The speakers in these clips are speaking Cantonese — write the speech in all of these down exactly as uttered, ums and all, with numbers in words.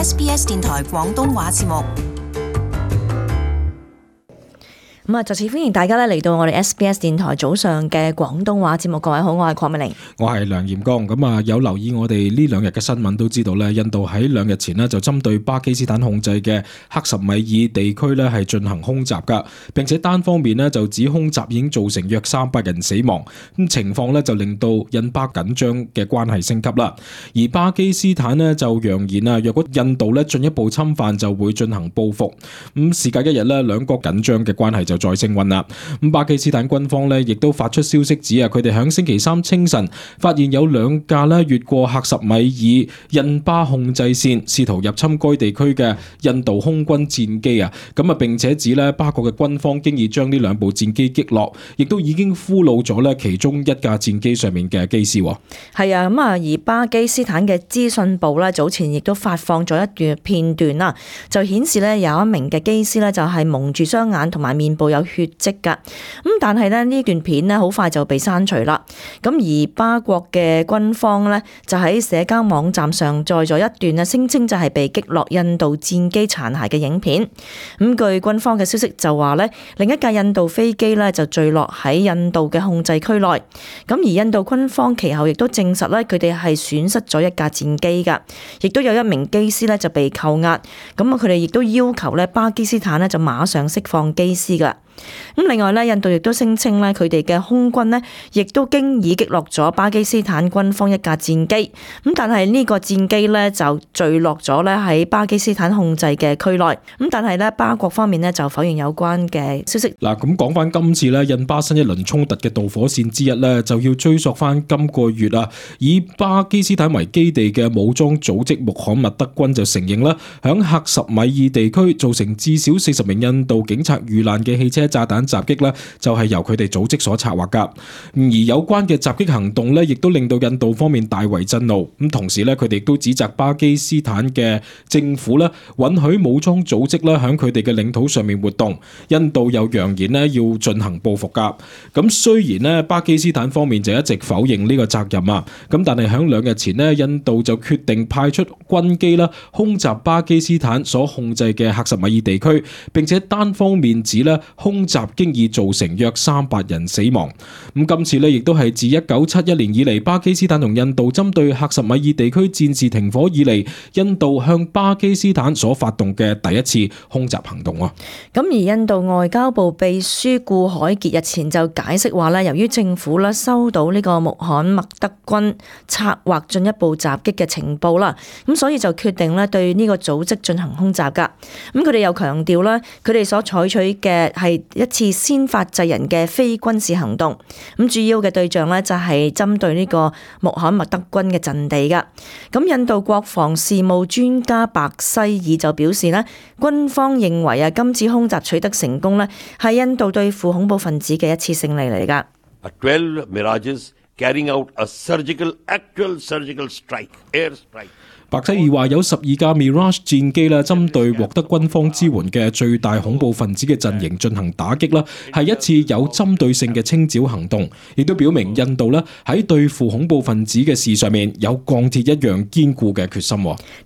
S B S 電台廣東話節目。咁啊，再次歡迎大家咧嚟到我哋 S B S 電台早上嘅廣東話節目。各位好，我係鄺美玲，我係梁炎光。咁啊，有留意我哋呢兩日嘅新聞都知道咧，印度喺兩日前呢就針對巴基斯坦控制嘅克什米爾地區咧係進行空襲噶，並且單方面呢就指空襲已經造成約三百人死亡。咁情況呢就令到印巴緊張嘅關係升級啦。而巴基斯坦呢就揚言啊，若果印度呢進一步侵犯，就會進行報復。咁事隔一日呢，兩國緊張嘅關係就再升溫啦。咁巴基斯坦軍方咧亦都發出消息指啊，佢哋響星期三清晨發現有兩架咧越過克什米爾印巴控制線，試圖入侵該地區嘅印度空軍戰機啊。咁啊，並且指咧巴國嘅軍方經已將呢兩部戰機擊落，亦都已經俘虜咗咧其中一架戰機上面嘅機師。係啊，咁啊，而巴基斯坦嘅資訊部咧早前亦都發放咗一段片段啦，就顯示咧有一名嘅機師咧就係蒙住雙眼同埋面部有血跡噶。咁但係咧呢段片咧好快就被刪除啦。咁而巴國嘅軍方咧就喺社交網站上載咗一段啊，聲稱就係被擊落印度戰機殘骸嘅影片。咁據軍方嘅消息就話咧，另一架印度飛機咧就墜落喺印度嘅控制區內。咁而印度軍方其後亦都證實咧，佢哋係損失咗一架戰機噶，亦都有一名機師咧就被扣押。咁啊，佢哋亦都要求咧巴基斯坦咧就馬上釋放機師噶。咁另外咧，印度亦都聲稱咧，佢哋嘅空軍咧，亦都經已擊落咗巴基斯坦軍方一架戰機。咁但係呢個戰機咧就墜落咗咧喺巴基斯坦控制嘅區內。咁但係咧巴國方面咧就否認有關嘅消息。嗱，咁講翻今次咧印巴新一輪衝突嘅導火線之一咧，就要追溯翻今個月啊，以巴基斯坦為基地嘅武裝組織穆罕默德軍就承認啦，響克什米爾地區造成至少四十名印度警察遇難嘅汽車炸彈襲擊咧，就係由佢哋組織所策劃噶。而有關嘅襲擊行動咧，亦都令到印度方面大為震怒。咁同時咧，佢哋亦都指責巴基斯坦嘅政府咧，允許武裝組織咧響佢哋嘅領土上面活動。印度又揚言咧要進行報復噶。咁雖然咧巴基斯坦方面就一直否認呢個責任啊，咁但係響兩日前咧，印度就決定派出軍機啦，空襲巴基斯坦所控制嘅克什米爾地區，並且單方面指咧空襲經已造成約三百人死亡。咁今次咧亦都係自一九七一年以嚟，巴基斯坦同印度針對克什米爾地區戰事停火以嚟，印度向巴基斯坦所發動嘅第一次空襲行動啊。咁而印度外交部秘書顧海傑日前就解釋話咧，由於政府咧收到呢個穆罕默德軍策劃進一步襲擊嘅情報啦，咁所以就決定咧對呢個組織進行空襲噶。咁佢哋又強調啦，佢哋所採取嘅係一次先發制人嘅非軍事行動，咁主要嘅對象咧就係針對呢個穆罕默德軍嘅陣地噶。咁印度國防事務專家白西爾就表示咧，軍方認為啊，今次空襲取得成功咧，係印度對付恐怖分子嘅一次勝利嚟噶。twelve Mirages carrying out a surgical, actual surgical strike, air strike. 白西爾話有十二架 Mirage 戰機啦，針對獲得軍方支援嘅最大恐怖分子嘅陣營進行打擊啦，係一次有針對性嘅清剿行動，亦都表明印度咧喺對付恐怖分子嘅事上面有鋼鐵一樣堅固嘅決心。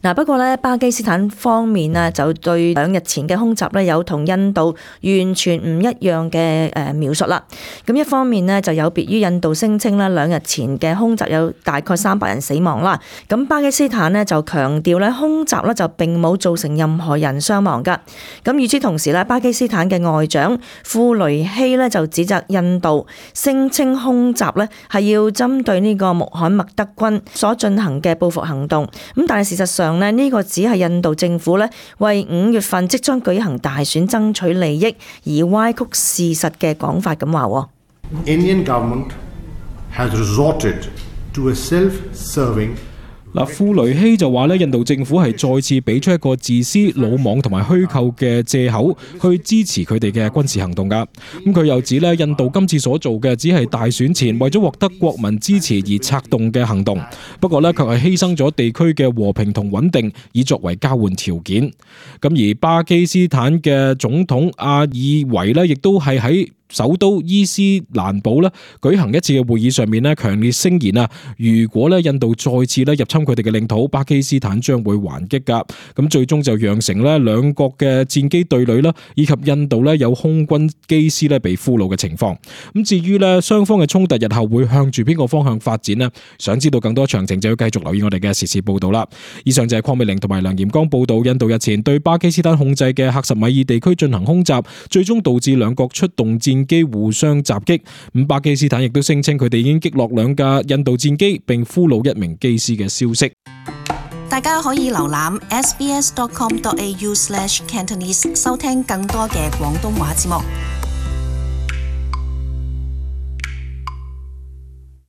嗱，不過咧巴基斯坦方面啊，就對兩日前嘅空襲咧有同印度完全唔一樣嘅誒描述啦。咁一方面呢，就有別於印度聲稱咧兩日前嘅空襲有大概三百人死亡啦，咁巴基斯坦呢，就就強調咧空襲咧就並冇造成任何人傷亡噶。咁與此同時咧，巴基斯坦嘅外長庫雷希咧就指責印度聲稱空襲咧係要針對呢個穆罕默德軍所進行嘅報復行動。咁但係事實上咧，呢個只係印度政府咧為五月份即將舉行大選爭取利益而歪曲事實嘅講法咁話。Indian government has resorted to a self-serving嗱，庫雷希就話咧，印度政府係再次俾出一個自私、魯莽同埋虛構嘅藉口，去支持佢哋嘅軍事行動噶。咁佢又指咧，印度今次所做嘅只係大選前為咗獲得國民支持而策動嘅行動，不過咧卻係犧牲咗地區嘅和平同穩定，以作為交換條件。咁而巴基斯坦嘅總統阿爾維咧，亦都係喺首都伊斯蘭堡咧舉行一次嘅會議上面咧，強烈聲言啊，如果咧印度再次咧入侵佢哋嘅領土，巴基斯坦將會還擊噶。咁最終就釀成咧兩國嘅戰機對壘啦，以及印度咧有空軍機師咧被俘虜嘅情況。咁至於咧雙方嘅衝突日後會向住邊個方向發展呢？想知道更多詳情就要繼續留意我哋嘅時事報道啦。以上就係鄺美玲同埋梁炎剛報道，印度日前對巴基斯坦控制嘅喀什米爾地區進行空襲，最終導致兩國出動戰機互相襲擊。咁巴基斯坦亦都聲稱佢哋已經擊落兩架印度戰機，並俘虜一名機師嘅消息。大家可以瀏覽 s b s dot com dot a u slash cantonese 收聽更多嘅廣東話節目。